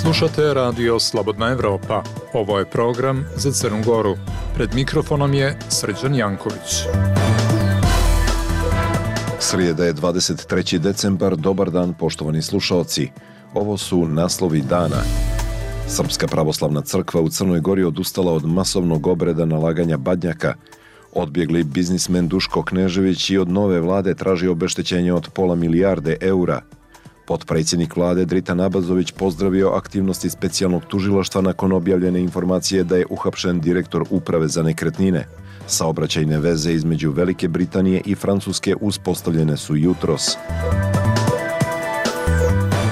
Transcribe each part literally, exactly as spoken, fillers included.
Slušate radio Slobodna Evropa. Ovo je program za Crnu Goru. Pred mikrofonom je Srđan Janković. Srijeda je dvadeset treći decembar, dobar dan poštovani slušaoci. Ovo su naslovi dana. Srpska pravoslavna crkva u Crnoj Gori odustala od masovnog obreda nalaganja badnjaka. Odbjegli biznismen Duško Knežević i od nove vlade traži obeštećenje od pola milijarde eura. Potpredsjednik vlade Dritan Abazović pozdravio aktivnosti specijalnog tužilaštva nakon objavljene informacije da je uhapšen direktor uprave za nekretnine. Saobraćajne veze između Velike Britanije i Francuske uspostavljene su jutros.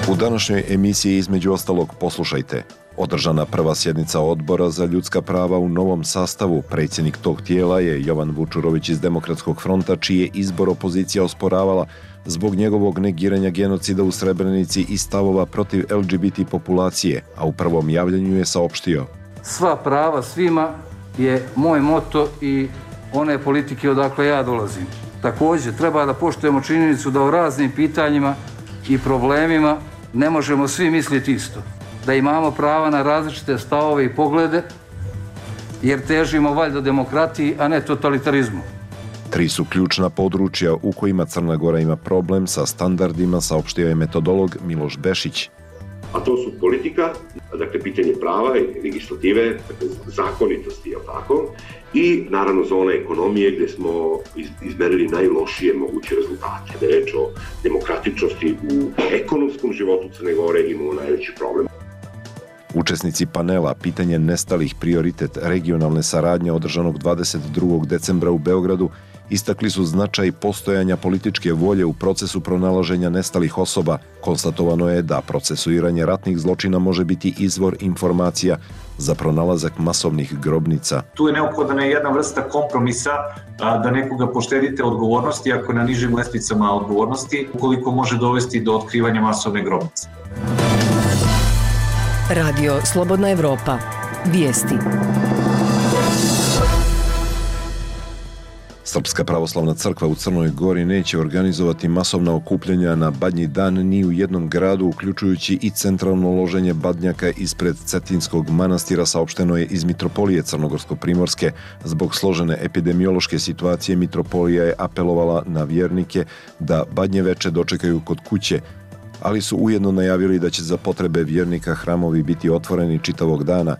U današnjoj emisiji između ostalog poslušajte. Održana prva sjednica Odbora za ljudska prava u novom sastavu. Predsjednik tog tijela je Jovan Vučurović iz Demokratskog fronta, čiji je izbor opozicija osporavala zbog njegovog negiranja genocida u Srebrenici i stavova protiv L G B T populacije, a u prvom javljanju je saopštio: sva prava svima je moj moto i one politike odakle ja dolazim. Također treba da poštujemo činjenicu da o raznim pitanjima i problemima ne možemo svi misliti isto. Da imamo prava na različite stavove i poglede, jer težimo valjda demokratiji, a ne totalitarizmu. Tri su ključna područja u kojima Crna Gora ima problem sa standardima, saopštio je metodolog Miloš Bešić. A to su politika, dakle pitanje prava i legislative, dakle zakonitosti, je tako, i naravno zona ekonomije gdje smo izmerili najlošije moguće rezultate. Da je reč o demokratičnosti u ekonomskom životu Crne Gore imamo najveći problem. Učesnici panela Pitanje nestalih, prioritet regionalne saradnje održanog dvadeset drugog decembra u Beogradu istakli su značaj postojanja političke volje u procesu pronalaženja nestalih osoba. Konstatovano je da procesuiranje ratnih zločina može biti izvor informacija za pronalazak masovnih grobnica. Tu je neophodna jedna vrsta kompromisa, da nekoga poštedite odgovornosti ako na nižim lestvicama odgovornosti, ukoliko može dovesti do otkrivanja masovne grobnice. Radio Slobodna Evropa. Vijesti. Srpska pravoslavna crkva u Crnoj Gori neće organizovati masovna okupljanja na Badnji dan ni u jednom gradu, uključujući i centralno loženje badnjaka ispred Cetinskog manastira, saopšteno je iz Mitropolije Crnogorsko-Primorske. Zbog složene epidemiološke situacije Mitropolija je apelovala na vjernike da Badnje veče dočekaju kod kuće, ali su ujedno najavili da će za potrebe vjernika hramovi biti otvoreni čitavog dana.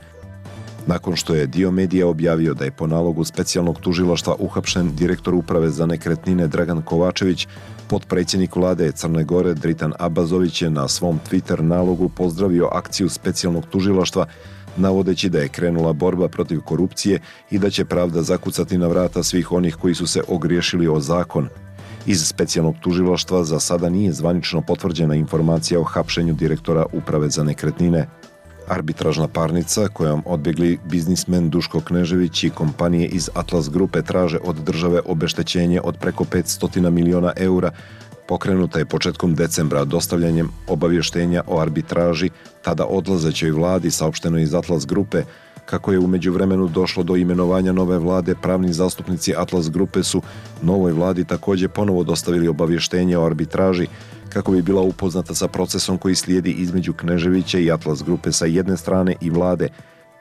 Nakon što je dio medija objavio da je po nalogu specijalnog tužilaštva uhapšen direktor uprave za nekretnine Dragan Kovačević, potpredsjednik vlade Crne Gore Dritan Abazović je na svom Twitter nalogu pozdravio akciju specijalnog tužilaštva, navodeći da je krenula borba protiv korupcije i da će pravda zakucati na vrata svih onih koji su se ogriješili o zakon. Iz specijalnog tužilaštva za sada nije zvanično potvrđena informacija o hapšenju direktora uprave za nekretnine. Arbitražna parnica kojom odbjegli biznismen Duško Knežević i kompanije iz Atlas grupe traže od države obeštećenje od preko petsto miliona eura, pokrenuta je početkom decembra dostavljanjem obavještenja o arbitraži tada odlazećoj vladi, saopšteno iz Atlas grupe. Kako je u međuvremenu došlo do imenovanja nove vlade, pravni zastupnici Atlas grupe su novoj vladi također ponovo dostavili obavještenje o arbitraži kako bi bila upoznata sa procesom koji slijedi između Kneževića i Atlas grupe sa jedne strane i vlade,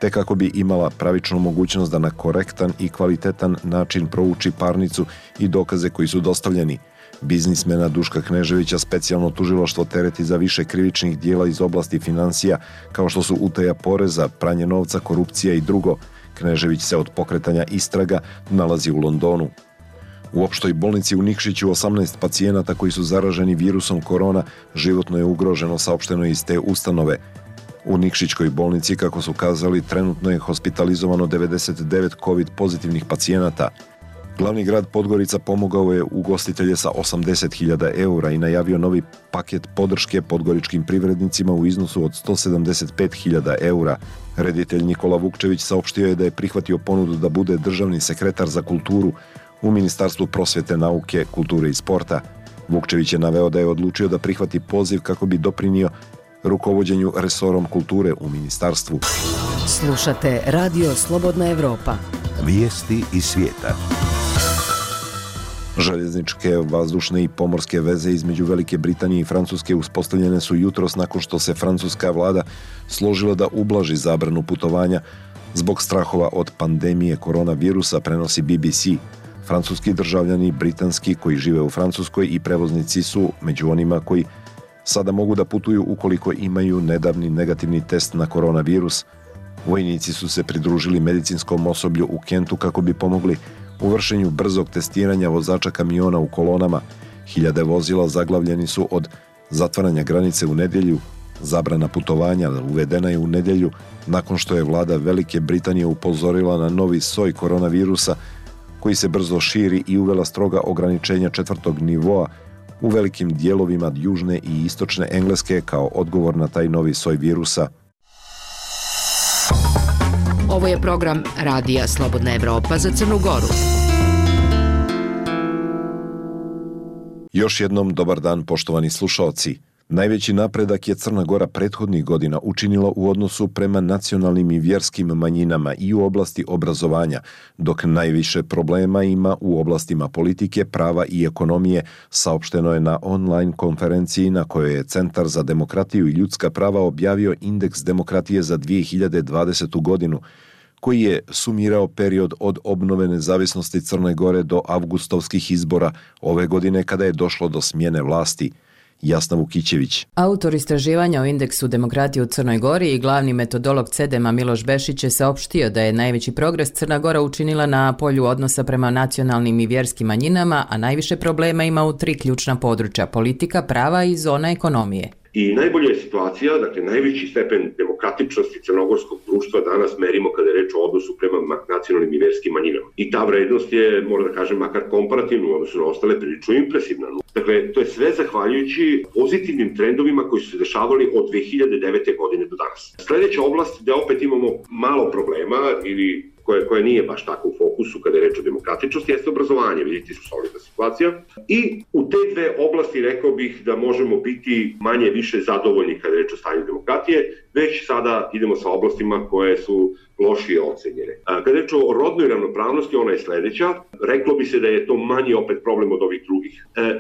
te kako bi imala pravičnu mogućnost da na korektan i kvalitetan način prouči parnicu i dokaze koji su dostavljeni. Biznismena Duška Kneževića specijalno tužilaštvo tereti za više krivičnih dijela iz oblasti financija, kao što su utaja poreza, pranje novca, korupcija i drugo. Knežević se od pokretanja istraga nalazi u Londonu. U opštoj bolnici u Nikšiću osamnaest pacijenata koji su zaraženi virusom korona životno je ugroženo, saopšteno iz te ustanove. U Nikšićkoj bolnici, kako su kazali, trenutno je hospitalizovano devedeset devet covid pozitivnih pacijenata. Glavni grad Podgorica pomogao je ugostitelje sa osamdeset hiljada eura i najavio novi paket podrške podgoričkim privrednicima u iznosu od sto sedamdeset pet hiljada eura. Reditelj Nikola Vukčević saopštio je da je prihvatio ponudu da bude državni sekretar za kulturu u Ministarstvu prosvjete, nauke, kulture i sporta. Vukčević je naveo da je odlučio da prihvati poziv kako bi doprinio rukovođenju resorom kulture u ministarstvu. Slušate Radio Slobodna Evropa. Vijesti iz svijeta. Željezničke, vazdušne i pomorske veze između Velike Britanije i Francuske uspostavljene su jutros nakon što se francuska vlada složila da ublaži zabranu putovanja zbog strahova od pandemije koronavirusa, prenosi B B C. Francuski državljani britanski koji žive u Francuskoj i prevoznici su među onima koji sada mogu da putuju ukoliko imaju nedavni negativni test na koronavirus. Vojnici su se pridružili medicinskom osoblju u Kentu kako bi pomogli u vršenju brzog testiranja vozača kamiona u kolonama. Hiljade vozila zaglavljeni su od zatvaranja granice u nedjelju. Zabrana putovanja uvedena je u nedjelju nakon što je vlada Velike Britanije upozorila na novi soj koronavirusa koji se brzo širi i uvela stroga ograničenja četvrtog nivoa u velikim dijelovima južne i istočne Engleske kao odgovor na taj novi soj virusa. Ovo je program Radija Slobodna Evropa za Crnu Goru. Još jednom dobar dan, poštovani slušaoci. Najveći napredak je Crna Gora prethodnih godina učinila u odnosu prema nacionalnim i vjerskim manjinama i u oblasti obrazovanja, dok najviše problema ima u oblastima politike, prava i ekonomije, saopšteno je na online konferenciji na kojoj je Centar za demokratiju i ljudska prava objavio indeks demokratije za dvije hiljade dvadesetu godinu, koji je sumirao period od obnove nezavisnosti Crne Gore do avgustovskih izbora ove godine kada je došlo do smjene vlasti. Jasna Vukićević. Autor istraživanja o indeksu demokratije u Crnoj Gori i glavni metodolog CEDEM-a Miloš Bešić je saopštio da je najveći progres Crna Gora učinila na polju odnosa prema nacionalnim i vjerskim manjinama, a najviše problema ima u tri ključna područja: politika, prava i zona ekonomije. I najbolja je situacija, dakle najveći stepen demokratičnosti crnogorskog društva danas merimo kada je reč o odnosu prema nacionalnim i vjerskim manjinama. I ta vrednost je, moram da kažem, makar komparativno u odnosu na ostale, prilično impresivna. Dakle, to je sve zahvaljujući pozitivnim trendovima koji su se dešavali od dve hiljade devete. godine do danas. Sljedeća oblast gde opet imamo malo problema ili Koja, koja nije baš tako u fokusu kada je reč o demokratičnosti, jeste obrazovanje, vidite su solidna situacija. I u te dve oblasti rekao bih da možemo biti manje više zadovoljni kada je reč o stanju demokratije, već sada idemo sa oblastima koje su lošije ocenjene. Kada je reč o rodnoj ravnopravnosti, ona je sljedeća. Reklo bi se da je to manji opet problem od ovih drugih.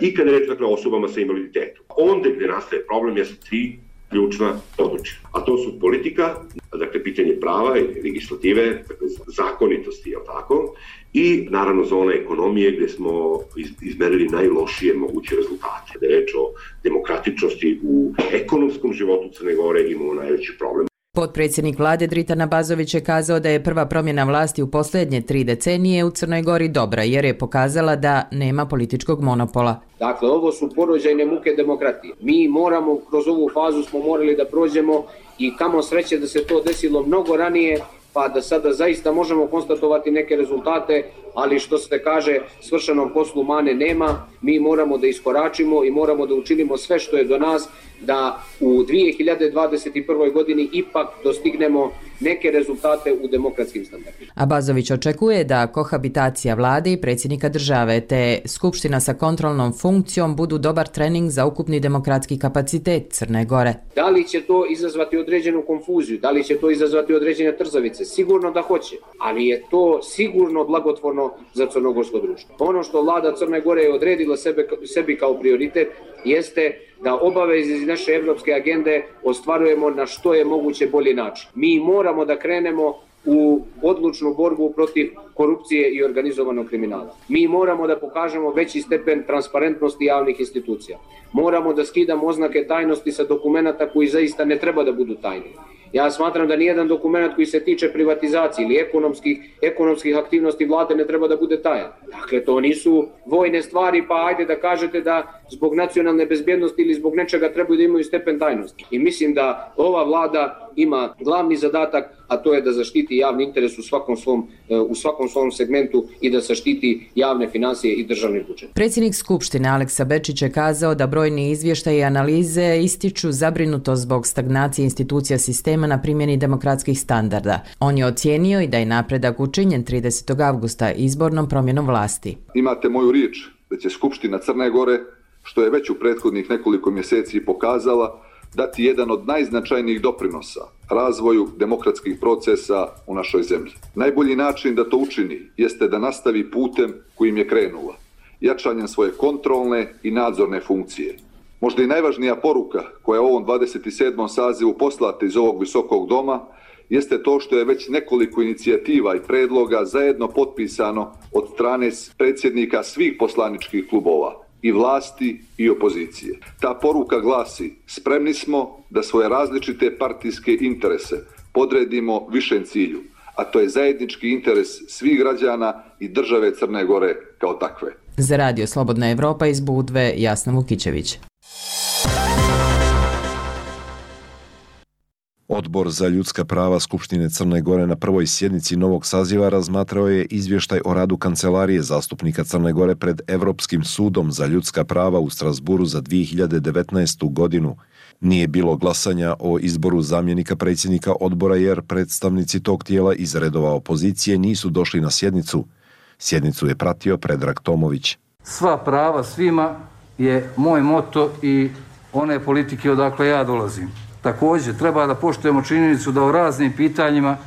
I kada je reč dakle, o osobama sa invaliditetom. Onda gdje nastaje problem jesu tri ključna područja. A to su politika, dakle pitanje prava i legislative, dakle zakonitosti, je tako, i naravno zona ekonomije gdje smo izmerili najlošije moguće rezultate. Da je reč o demokratičnosti u ekonomskom životu Crne Gore imamo najveći problem. Potpredsjednik vlade Dritan Abazović je kazao da je prva promjena vlasti u posljednje tri decenije u Crnoj Gori dobra, jer je pokazala da nema političkog monopola. Dakle, ovo su porođajne muke demokratije. Mi moramo, kroz ovu fazu smo morali da prođemo i kamo sreće da se to desilo mnogo ranije, pa da sada zaista možemo konstatovati neke rezultate, ali što se kaže, svršenom poslu mane nema, mi moramo da iskoračimo i moramo da učinimo sve što je do nas da u dvije hiljade dvadeset prve. godini ipak dostignemo neke rezultate u demokratskim standardima. Abazović očekuje da kohabitacija vlade i predsjednika države te skupština sa kontrolnom funkcijom budu dobar trening za ukupni demokratski kapacitet Crne Gore. Da li će to izazvati određenu konfuziju, da li će to izazvati određene trzavice? Sigurno da hoće, ali je to sigurno blagotvorno za crnogorsko društvo. Ono što vlada Crne Gore je odredila sebe, sebi kao prioritet jeste da obaveze iz naše evropske agende ostvarujemo na što je moguće bolji način. Mi moramo da krenemo u odlučnu borbu protiv korupcije i organizovanog kriminala. Mi moramo da pokažemo veći stepen transparentnosti javnih institucija. Moramo da skidamo oznake tajnosti sa dokumenata koji zaista ne treba da budu tajni. Ja smatram da nijedan dokument koji se tiče privatizacije ili ekonomskih, ekonomskih aktivnosti vlade ne treba da bude tajan. Dakle, to nisu vojne stvari, pa ajde da kažete da zbog nacionalne bezbjednosti ili zbog nečega trebaju da imaju stepen tajnosti. I mislim da ova vlada ima glavni zadatak, a to je da zaštiti javni interes u svakom svom, u svakom svom segmentu i da zaštiti javne financije i državni budžet. Predsjednik Skupštine Aleksa Bečić je kazao da brojni izvještaji i analize ističu zabrinutost zbog stagnacije institucija sistema na primjeni demokratskih standarda. On je ocijenio i da je napredak učinjen tridesetog avgusta izbornom promjenom vlasti. Imate moju riječ da će Skupština Crne Gore, što je već u prethodnih nekoliko mjeseci pokazala, dati jedan od najznačajnijih doprinosa razvoju demokratskih procesa u našoj zemlji. Najbolji način da to učini jeste da nastavi putem kojim je krenula jačanjem svoje kontrolne i nadzorne funkcije. Možda i najvažnija poruka koja je u ovom dvadeset sedmom sazivu poslata iz ovog visokog doma jeste to što je već nekoliko inicijativa i predloga zajedno potpisano od strane predsjednika svih poslaničkih klubova, i vlasti i opozicije. Ta poruka glasi: spremni smo da svoje različite partijske interese podredimo višem cilju, a to je zajednički interes svih građana i države Crne Gore kao takve. Za Radio Slobodna Evropa iz Budve, Jasna Vukićević. Odbor za ljudska prava Skupštine Crne Gore na prvoj sjednici novog saziva razmatrao je izvještaj o radu Kancelarije zastupnika Crne Gore pred Evropskim sudom za ljudska prava u Strasburu za dvije hiljade devetnaestu. godinu. Nije bilo glasanja o izboru zamjenika predsjednika odbora jer predstavnici tog tijela iz redova opozicije nisu došli na sjednicu. Sjednicu je pratio Predrag Tomović. Sva prava svima je moj moto i one politike odakle ja dolazim. Također, treba da poštujemo činjenicu da o raznim pitanjima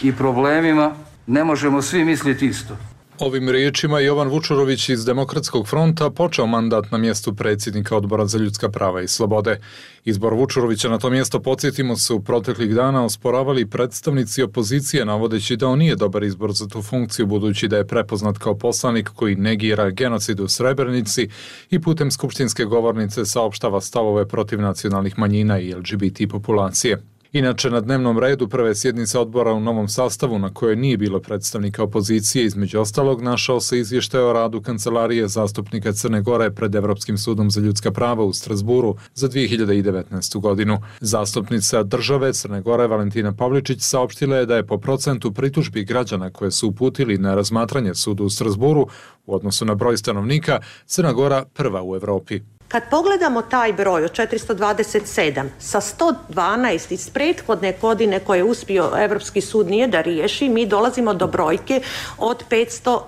i problemima ne možemo svi misliti isto. Ovim riječima Jovan Vučurović iz Demokratskog fronta počeo mandat na mjestu predsjednika Odbora za ljudska prava i slobode. Izbor Vučurovića na to mjesto, podsjetimo se, u proteklih dana osporavali predstavnici opozicije, navodeći da on nije dobar izbor za tu funkciju, budući da je prepoznat kao poslanik koji negira genocid u Srebrenici i putem skupštinske govornice saopštava stavove protiv nacionalnih manjina i L G B T populacije. Inače, na dnevnom redu prve sjednice odbora u novom sastavu, na kojoj nije bilo predstavnika opozicije, između ostalog našao se izvještaj o radu Kancelarije zastupnika Crne Gore pred Evropskim sudom za ljudska prava u Strasburu za dvije hiljade devetnaestu. godinu. Zastupnica države Crne Gore Valentina Pavličić saopštila je da je po procentu pritužbi građana koje su uputili na razmatranje sudu u Strasburu u odnosu na broj stanovnika Crna Gora prva u Evropi. Kad pogledamo taj broj od četiristo dvadeset sedam sa sto dvanaest iz prethodne godine koje je uspio Evropski sud nije da riješi, mi dolazimo do brojke od petsto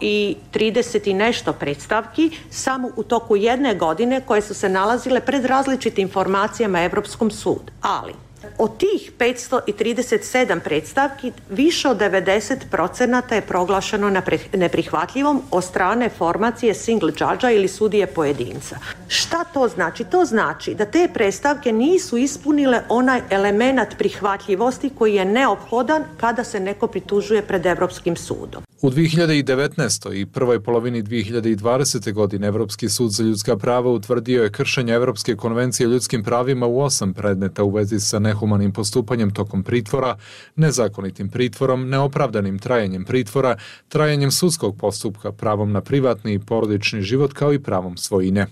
trideset i nešto predstavki samo u toku jedne godine koje su se nalazile pred različitim informacijama Evropskom sudu. Ali od tih petsto trideset sedam predstavki više od devedeset procenata je proglašeno neprihvatljivom od strane formacije single judge-a ili sudije pojedinca. Šta to znači? To znači da te predstavke nisu ispunile onaj element prihvatljivosti koji je neophodan kada se neko pritužuje pred Evropskim sudom. U dvije hiljade devetnaestoj. i prvoj polovini dvije hiljade dvadesete. godine Evropski sud za ljudska prava utvrdio je kršenje Evropske konvencije o ljudskim pravima u osam predmeta u vezi sa nehumanim postupanjem tokom pritvora, nezakonitim pritvorom, neopravdanim trajanjem pritvora, trajanjem sudskog postupka, pravom na privatni i porodični život kao i pravom svojine.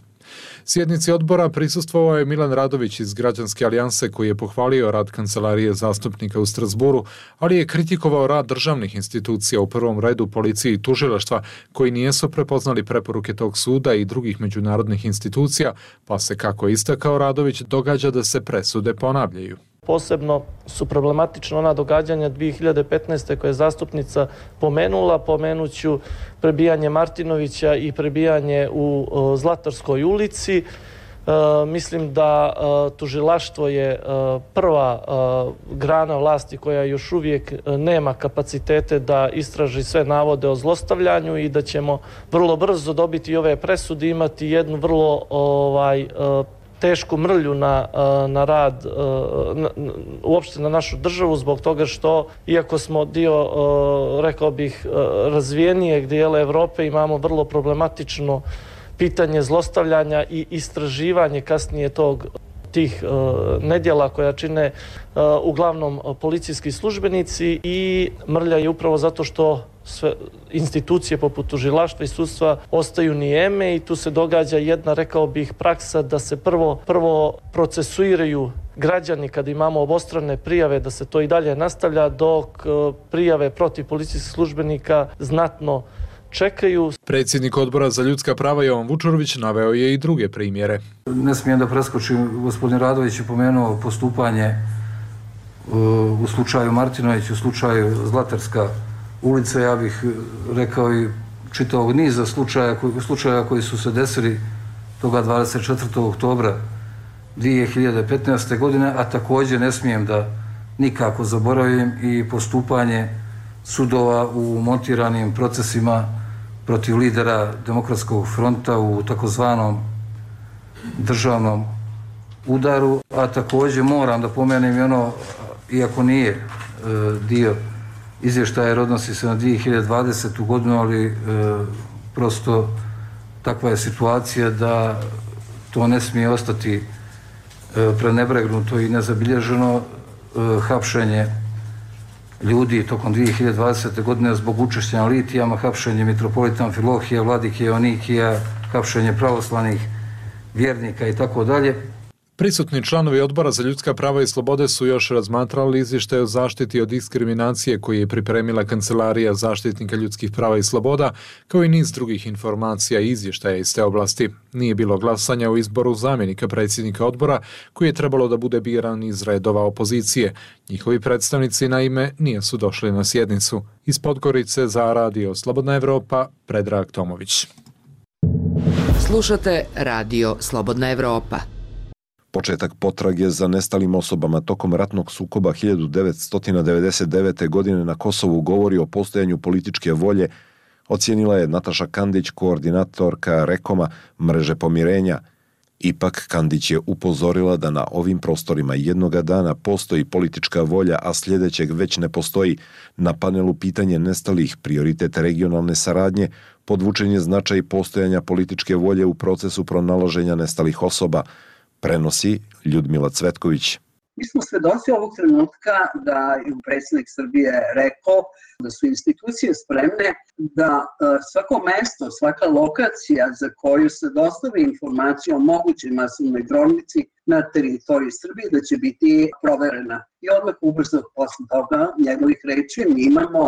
Sjednici odbora prisustvovao je Milan Radović iz Građanske alijanse koji je pohvalio rad Kancelarije zastupnika u Strasburu, ali je kritikovao rad državnih institucija, u prvom redu policije i tužilaštva, koji nijesu prepoznali preporuke tog suda i drugih međunarodnih institucija, pa se, kako je istakao Radović, događa da se presude ponavljaju. Posebno su problematična ona događanja dvije hiljade petnaeste. koje je zastupnica pomenula. Pomenuću prebijanje Martinovića i prebijanje u Zlatarskoj ulici. E, mislim da e, tužilaštvo je e, prva e, grana vlasti koja još uvijek nema kapacitete da istraži sve navode o zlostavljanju i da ćemo vrlo brzo dobiti ove presude, imati jednu vrlo ovaj, e, tešku mrlju na, na rad, na, uopšte na našu državu, zbog toga što, iako smo dio, rekao bih, razvijenijeg dijela Evrope, imamo vrlo problematično pitanje zlostavljanja i istraživanje kasnije tog tih uh, nedjela koja čine uh, uglavnom policijski službenici, i mrlja je upravo zato što sve institucije poput tužilaštva i sudstva ostaju nijeme i tu se događa jedna, rekao bih, praksa da se prvo, prvo procesuiraju građani kada imamo obostrane prijave, da se to i dalje nastavlja, dok uh, prijave protiv policijskih službenika znatno čekaju. Predsjednik Odbora za ljudska prava Jovan Vučurović naveo je i druge primjere. Ne smijem da preskočim, gospodin Radović je pomenuo postupanje u slučaju Martinović, u slučaju Zlatarska ulica. Ja bih rekao i čitavog niza slučaja koji, slučaja koji su se desili toga dvadeset četvrtog oktobra dvije hiljade petnaeste. godine, a također ne smijem da nikako zaboravim i postupanje sudova u montiranim procesima protiv lidera Demokratskog fronta u takozvanom državnom udaru, a također moram da pomenem i ono, iako nije e, dio izvještaja jer odnosi se na dvije hiljade dvadesetu. godinu, ali e, prosto takva je situacija da to ne smije ostati e, prenebregnuto i nezabilježeno. E, hapšenje ljudi tokom dvije hiljade dvadesete. godine zbog učešća na litijama, hapšenje mitropolita Amfilohija, vladike Joannikija, hapšenje pravoslavnih vjernika i tako dalje. Prisutni članovi Odbora za ljudska prava i slobode su još razmatrali izvještaj o zaštiti od diskriminacije koji je pripremila Kancelarija zaštitnika ljudskih prava i sloboda, kao i niz drugih informacija i izvještaja iz te oblasti. Nije bilo glasanja o izboru zamjenika predsjednika odbora, koji je trebalo da bude biran iz redova opozicije. Njihovi predstavnici naime nisu došli na sjednicu. Iz Podgorice za Radio Slobodna Evropa, Predrag Tomović. Slušate Radio Slobodna Evropa. Početak potrage za nestalim osobama tokom ratnog sukoba hiljadu devetsto devedeset devete. godine na Kosovu govori o postojanju političke volje, ocijenila je Nataša Kandić, koordinatorka Rekoma mreže pomirenja. Ipak Kandić je upozorila da na ovim prostorima jednoga dana postoji politička volja, a sljedećeg već ne postoji. Na panelu pitanje nestalih, prioritet regionalne saradnje, podvučen je značaj postojanja političke volje u procesu pronalaženja nestalih osoba, prenosi Ljudmila Cvetković. Mi smo svedoci ovog trenutka da je predsjednik Srbije rekao da su institucije spremne da svako mesto, svaka lokacija za koju se dostavi informacija o mogućoj masovnoj grobnici na teritoriji Srbije da će biti proverena. I odmah ubrzo posle toga njegovih reči mi imamo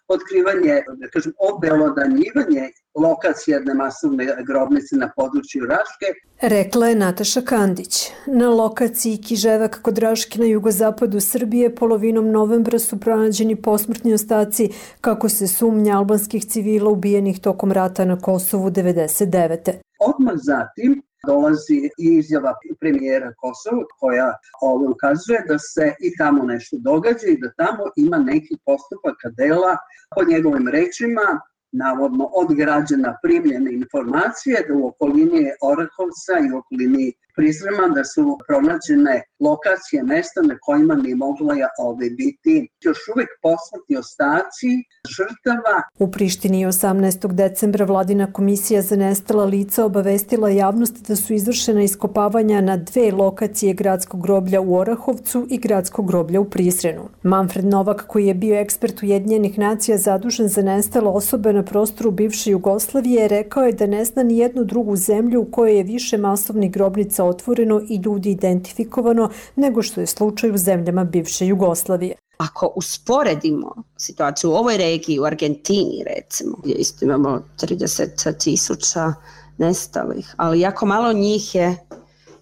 otkrivanje, da kažem, obelodanjivanje lokacije jedne masovne grobnice na području Raške. Rekla je Nataša Kandić. Na lokaciji Kiževak kod Raške na jugozapadu Srbije polovinom novembra su pronađeni posmrtni ostaci, kako se sumnja, albanskih civila ubijenih tokom rata na Kosovu devedeset devete. Odmah zatim dolazi i izjava premijera Kosova koja ovo ukazuje da se i tamo nešto događa i da tamo ima neki postupaka dela, po njegovim rečima, navodno od građana primljene informacije da u okolini Orahovca i u okolini Prizrema da su pronađene lokacije mesta na kojima bi mogla ove biti još uvijek posmrtni ostaci žrtava. U Prištini osamnaestog decembra vladina komisija za nestala lica obavestila javnost da su izvršena iskopavanja na dve lokacije gradskog groblja u Orahovcu i gradskog groblja u Prizrenu. Manfred Novak, koji je bio ekspert Ujedinjenih nacija zadužen za nestale osobe na prostoru bivše Jugoslavije, rekao je da ne zna ni jednu drugu zemlju u kojoj je više masovnih grobnica otvoreno i ljudi identifikovano nego što je slučaj u zemljama bivše Jugoslavije. Ako usporedimo situaciju u ovoj regiji, u Argentini recimo, gdje isto imamo trideset tisuća nestalih, ali jako malo njih je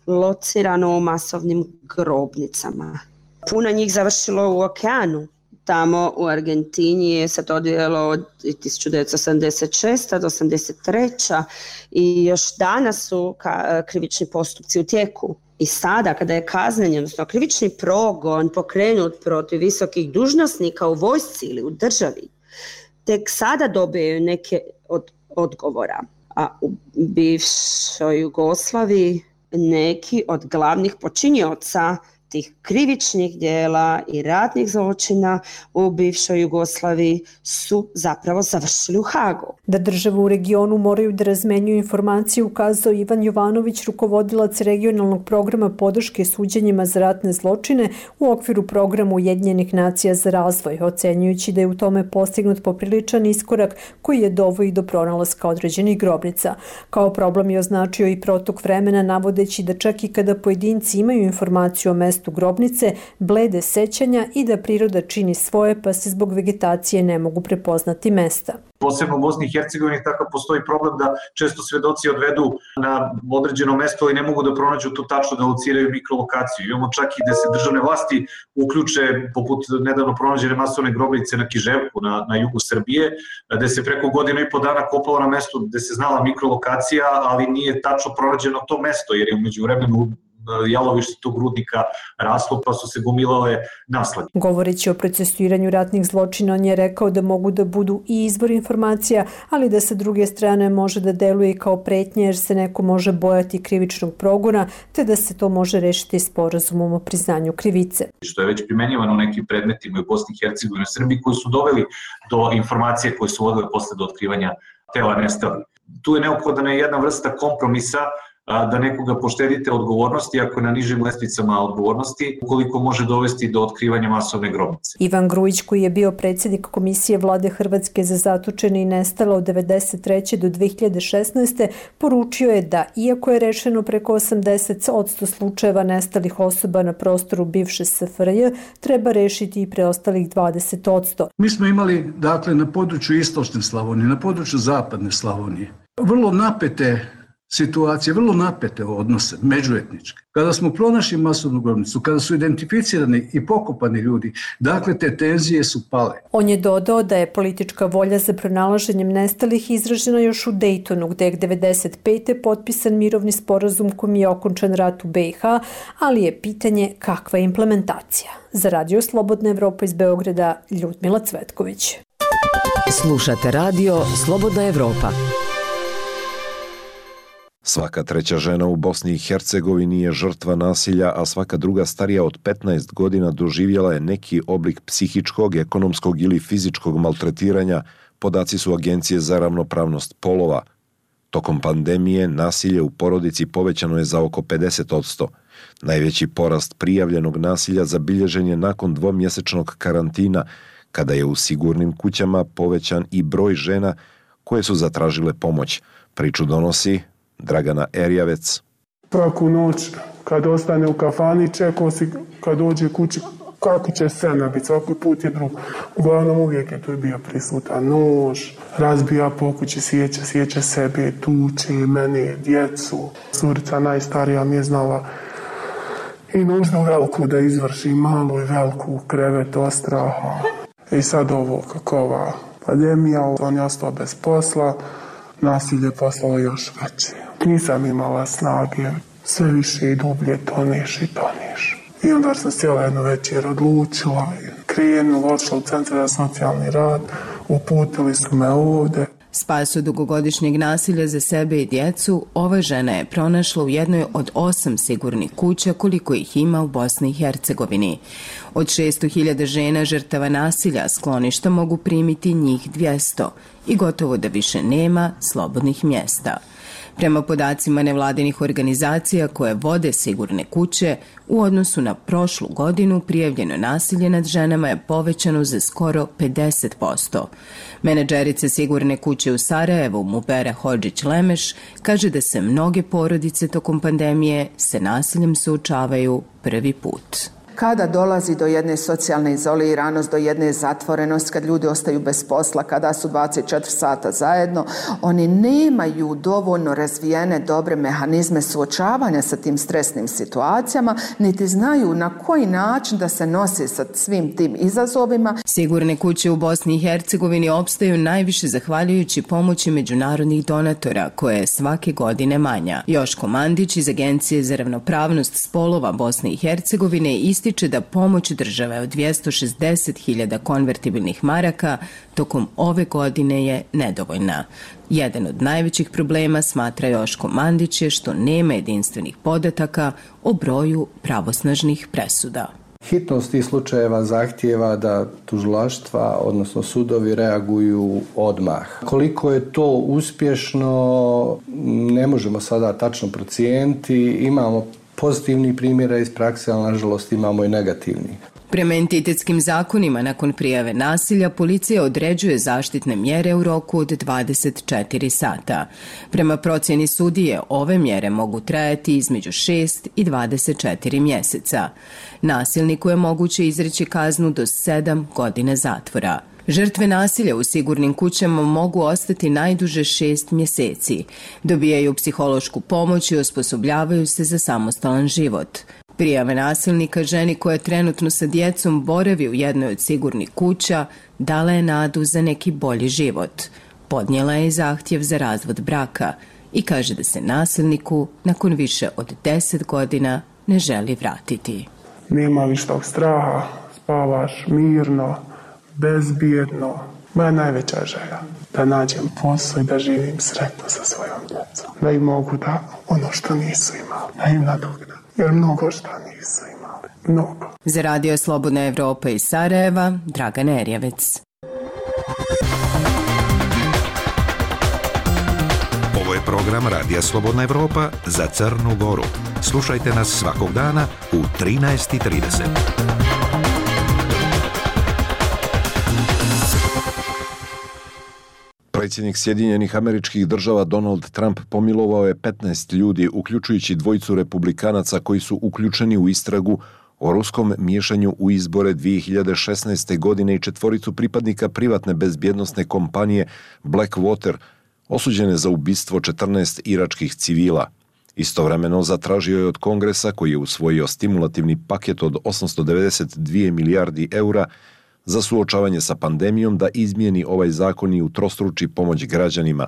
locirano u masovnim grobnicama. Puno njih završilo u okeanu. Tamo u Argentini je se to odvijalo od tisuću devetsto sedamdeset šeste. do osamdeset treće. i još danas su krivični postupci u tijeku. I sada kada je kazneni, odnosno krivični progon pokrenut protiv visokih dužnosnika u vojsci ili u državi, tek sada dobiju neke od odgovora. A u bivšoj Jugoslaviji neki od glavnih počinioca tih krivičnih djela i ratnih zločina u bivšoj Jugoslaviji su zapravo završili u Hagu. Da države u regionu moraju da razmenjuju informacije ukazao Ivan Jovanović, rukovodilac regionalnog programa podrške suđenjima za ratne zločine u okviru programa Ujedinjenih nacija za razvoj, ocenjujući da je u tome postignut popriličan iskorak koji je doveo i do pronalaska određenih grobnica. Kao problem je označio i protok vremena, navodeći da čak i kada pojedinci imaju informaciju o mestu grobnice, blede sećanja i da priroda čini svoje, pa se zbog vegetacije ne mogu prepoznati mesta. Posebno u Bosni i Hercegovini takav postoji problem da često svedoci odvedu na određeno mesto i ne mogu da pronađu to tačno, da lociraju mikrolokaciju. Imamo čak i da se državne vlasti uključe, poput nedavno pronađene masovne grobnice na Kiževku, na, na jugu Srbije, gde se preko godinu i po dana kopalo na mestu gde se znala mikrolokacija, ali nije tačno pronađeno to mesto, jer je umeđu vremenu jalovište tog rudnika raslo, pa su se gomilale naslage. Govoreći o procesuiranju ratnih zločina, on je rekao da mogu da budu i izvor informacija, ali da sa druge strane može da deluje kao pretnje jer se neko može bojati krivičnog progona, te da se to može rešiti sporazumom o priznanju krivice. Što je već primenjivano u nekim predmetima u Bosni i Hercegovini i Srbiji koji su doveli do informacije koje su vodile posle do otkrivanja tela nestalih. Tu je neophodna jedna vrsta kompromisa da nekoga poštedite odgovornosti ako je na nižim lestvicama odgovornosti, ukoliko može dovesti do otkrivanja masovne grobnice. Ivan Grujić, koji je bio predsjednik Komisije Vlade Hrvatske za zatočene i nestale od devedeset treće do dve hiljade šesnaeste. poručio je da, iako je rešeno preko osamdeset posto slučajeva nestalih osoba na prostoru bivše S F R J, treba rešiti i preostalih dvadeset posto. Mi smo imali, dakle, na području istočne Slavonije, na području zapadne Slavonije, vrlo napete situacije, vrlo napete odnose, međuetničke. Kada smo pronašli masovnu grobnicu, kada su identificirani i pokopani ljudi, dakle te tenzije su pale. On je dodao da je politička volja za pronalaženjem nestalih izražena još u Dejtonu, gde je devedeset pete potpisan mirovni sporazum kojim je okončan rat u B i H, ali je pitanje kakva je implementacija. Za Radio Slobodna Evropa iz Beograda, Ljudmila Cvetković. Slušate radio Slobodna Evropa. Svaka treća žena u Bosni i Hercegovini je žrtva nasilja, a svaka druga starija od petnaest godina doživjela je neki oblik psihičkog, ekonomskog ili fizičkog maltretiranja, podaci su Agencije za ravnopravnost polova. Tokom pandemije nasilje u porodici povećano je za oko pedeset posto. Najveći porast prijavljenog nasilja zabilježen je nakon dvomjesečnog karantina, kada je u sigurnim kućama povećan i broj žena koje su zatražile pomoć. Priču donosi Dragana Erjavec. Svaku noć kad ostane u kafani čekao si kad dođe kući kako će scena biti, svaki put je drug. Uglavnom uvijek je tu bio prisutan nož, razbija po kući, sjeća, sjeća sebe, tuče, mene, djecu. Curica najstarija mi je znala i nužno veliku da izvrši, malu i veliku krevet ostraha. I sad ovo kako ova pandemija, on je ostao bez posla, nasilje postalo još veće. Nisam imala snage, sve više i dublje toneš i toneš. I onda sam cijela jednu večer odlučila, krenula, odšla u centar za socijalni rad, uputili su me ovde. Spas od dugogodišnjeg nasilja za sebe i djecu, ova žena je pronašla u jednoj od osam sigurnih kuća koliko ih ima u Bosni i Hercegovini. Od šesto hiljada žena žrtava nasilja skloništa mogu primiti njih dvjesto i gotovo da više nema slobodnih mjesta. Prema podacima nevladinih organizacija koje vode sigurne kuće, u odnosu na prošlu godinu prijavljeno nasilje nad ženama je povećano za skoro pedeset posto. Menadžerica sigurne kuće u Sarajevu, Mubera Hodžić-Lemeš, kaže da se mnoge porodice tokom pandemije se nasiljem suočavaju prvi put. Kada dolazi do jedne socijalne izoliranosti, do jedne zatvorenosti, kad ljudi ostaju bez posla, kada su dvadeset četiri sata zajedno, oni nemaju dovoljno razvijene dobre mehanizme suočavanja sa tim stresnim situacijama, niti znaju na koji način da se nose sa svim tim izazovima. Sigurne kuće u Bosni i Hercegovini opstaju najviše zahvaljujući pomoći međunarodnih donatora, koje je svake godine manja. Joško Mandić iz Agencije za ravnopravnost spolova Bosne i Hercegovine ističe da pomoć države od dvjesto šezdeset hiljada konvertibilnih maraka tokom ove godine je nedovoljna. Jedan od najvećih problema, smatra Joško Mandić, je što nema jedinstvenih podataka o broju pravosnažnih presuda. Hitnost tih slučajeva zahtijeva da tužilaštva, odnosno sudovi, reaguju odmah. Koliko je to uspješno, ne možemo sada tačno procijeniti. Imamo pozitivni primjera iz prakse, ali nažalost imamo i negativni. Prema entitetskim zakonima, nakon prijave nasilja, policija određuje zaštitne mjere u roku od dvadeset četiri sata. Prema procjeni sudije, ove mjere mogu trajati između šest i dvadeset četiri mjeseca. Nasilniku je moguće izreći kaznu do sedam godina zatvora. Žrtve nasilja u sigurnim kućama mogu ostati najduže šest mjeseci. Dobijaju psihološku pomoć i osposobljavaju se za samostalan život. Prijave nasilnika ženi koja trenutno sa djecom boravi u jednoj od sigurnih kuća dala je nadu za neki bolji život. Podnijela je zahtjev za razvod braka i kaže da se nasilniku nakon više od deset godina ne želi vratiti. Nema više tog straha, spavaš mirno, bezbjedno. Moja najveća želja da nađem posao i da živim sretno sa svojom djecom. Da im mogu da ono što nisu imali, da im nadoknadam. Jer mnogo što nisu imali. Mnogo. Za Radio Slobodna Evropa iz Sarajeva, Dragan Erjevec. Ovo je program Radija Slobodna Evropa za Crnu Goru. Slušajte nas svakog dana u trinaest i trideset. Predsjednik Sjedinjenih Američkih Država Donald Trump pomilovao je petnaest ljudi, uključujući dvojicu republikanaca koji su uključeni u istragu o ruskom miješanju u izbore dvije hiljade šesnaeste. godine i četvoricu pripadnika privatne bezbjednosne kompanije Blackwater, osuđene za ubistvo četrnaest iračkih civila. Istovremeno zatražio je od Kongresa, koji je usvojio stimulativni paket od osamsto devedeset dvije milijardi eura za suočavanje sa pandemijom, da izmijeni ovaj zakon i utrostruči pomoć građanima.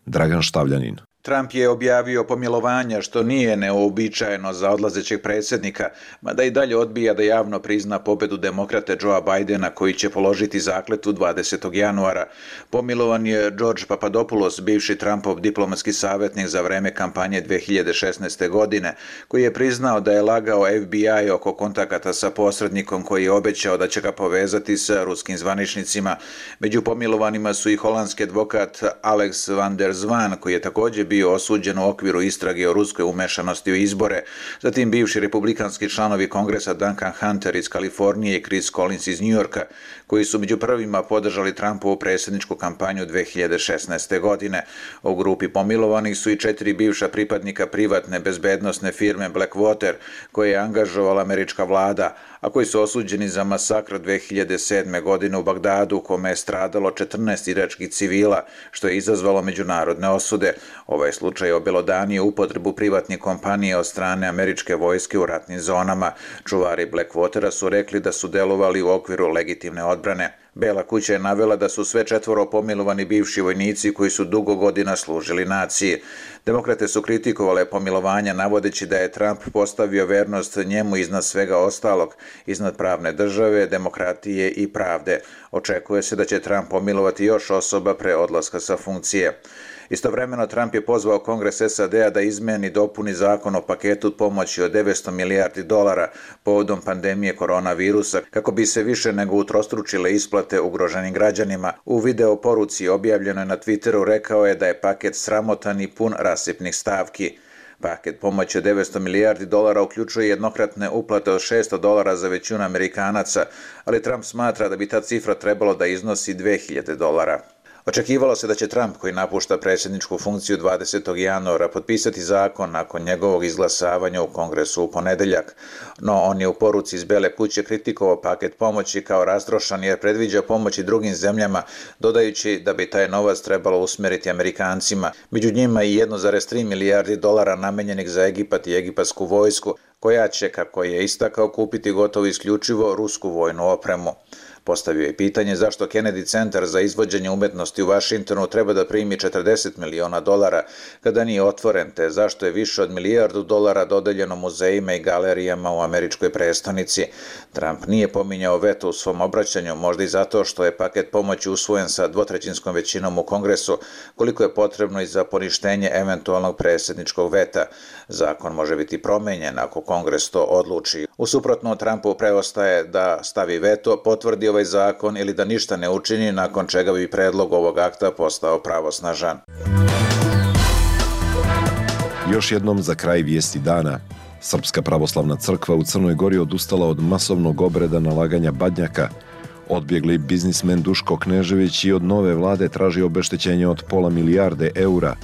Dragan Štavljanin. Trump je objavio pomilovanja, što nije neuobičajeno za odlazećeg predsjednika, mada i dalje odbija da javno prizna pobedu demokrate Joea Bidena, koji će položiti zakletvu dvadesetog januara. Pomilovan je George Papadopoulos, bivši Trumpov diplomatski savjetnik za vreme kampanje dvije hiljade šesnaeste. godine, koji je priznao da je lagao F B I oko kontakata sa posrednikom koji je obećao da će ga povezati sa ruskim zvaničnicima. Među pomilovanima su i holandski advokat Alex van der Zwan, koji je također bio bio osuđen u okviru istrage o ruskoj umešanosti u izbore, zatim bivši republikanski članovi Kongresa Duncan Hunter iz Kalifornije i Chris Collins iz Njujorka, koji su među prvima podržali Trumpovu predsjedničku kampanju dvije hiljade šesnaeste. godine. U grupi pomilovanih su i četiri bivša pripadnika privatne bezbednosne firme Blackwater, koje je angažovala američka vlada, a koji su osuđeni za masakr dvije hiljade sedme. godine u Bagdadu, u kome je stradalo četrnaest iračkih civila, što je izazvalo međunarodne osude. Ovaj slučaj obelodanio upotrebu privatnih kompanije od strane američke vojske u ratnim zonama. Čuvari Blackwatera su rekli da su delovali u okviru legitimne odbrane. Bela kuća je navela da su sve četvoro pomilovani bivši vojnici koji su dugo godina služili naciji. Demokrate su kritikovale pomilovanja, navodeći da je Trump postavio vernost njemu iznad svega ostalog, iznad pravne države, demokratije i pravde. Očekuje se da će Trump pomilovati još osoba pre odlaska sa funkcije. Istovremeno Trump je pozvao Kongres S A D-a da izmeni i dopuni zakon o paketu pomoći od devetsto milijardi dolara povodom pandemije koronavirusa, kako bi se više nego utrostručile isplate ugroženim građanima. U video poruci objavljenoj na Twitteru rekao je da je paket sramotan i pun rasipnih stavki. Paket pomoći od devetsto milijardi dolara uključuje jednokratne uplate od šesto dolara za većinu Amerikanaca, ali Trump smatra da bi ta cifra trebalo da iznosi dve hiljade dolara. Očekivalo se da će Trump, koji napušta predsjedničku funkciju dvadesetog januara, potpisati zakon nakon njegovog izglasavanja u Kongresu u ponedeljak, no on je u poruci iz Bele kuće kritikovao paket pomoći kao rastrošan jer predviđa pomoć i drugim zemljama, dodajući da bi taj novac trebalo usmjeriti Amerikancima, među njima i jedno zarez tri milijardi dolara namenjenih za Egipat i egipatsku vojsku, koja će, kako je istakao, kupiti gotovo isključivo rusku vojnu opremu. Postavio je pitanje zašto Kennedy centar za izvođenje umetnosti u Vašingtonu treba da primi četrdeset miliona dolara kada nije otvoren, te zašto je više od milijardu dolara dodeljeno muzejima i galerijama u američkoj prestonici. Trump nije pominjao veto u svom obraćanju, možda i zato što je paket pomoći usvojen sa dvotrećinskom većinom u Kongresu, koliko je potrebno i za poništenje eventualnog predsjedničkog veta. Zakon može biti promenjen ako Kongres to odluči. U suprotno, Trumpu preostaje da stavi veto, potvrdi ovaj zakon ili da ništa ne učini, nakon čega bi predlog ovog akta postao pravosnažan. Još jednom za kraj vijesti dana. Srpska pravoslavna crkva u Crnoj Gori odustala od masovnog obreda nalaganja badnjaka. Odbjegli biznismen Duško Knežević i od nove vlade traži obeštećenje od pola milijarde eura.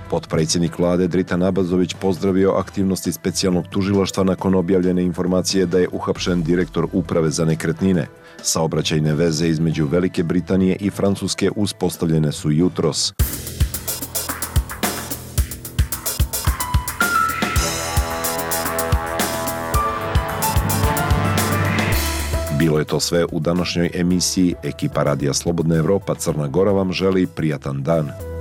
Potpredsjednik vlade Dritan Abazović pozdravio aktivnosti specijalnog tužilaštva nakon objavljene informacije da je uhapšen direktor uprave za nekretnine. Saobraćajne veze između Velike Britanije i Francuske uspostavljene su jutros. Bilo je to sve u današnjoj emisiji. Ekipa Radija Slobodna Evropa Crna Gora vam želi prijatan dan.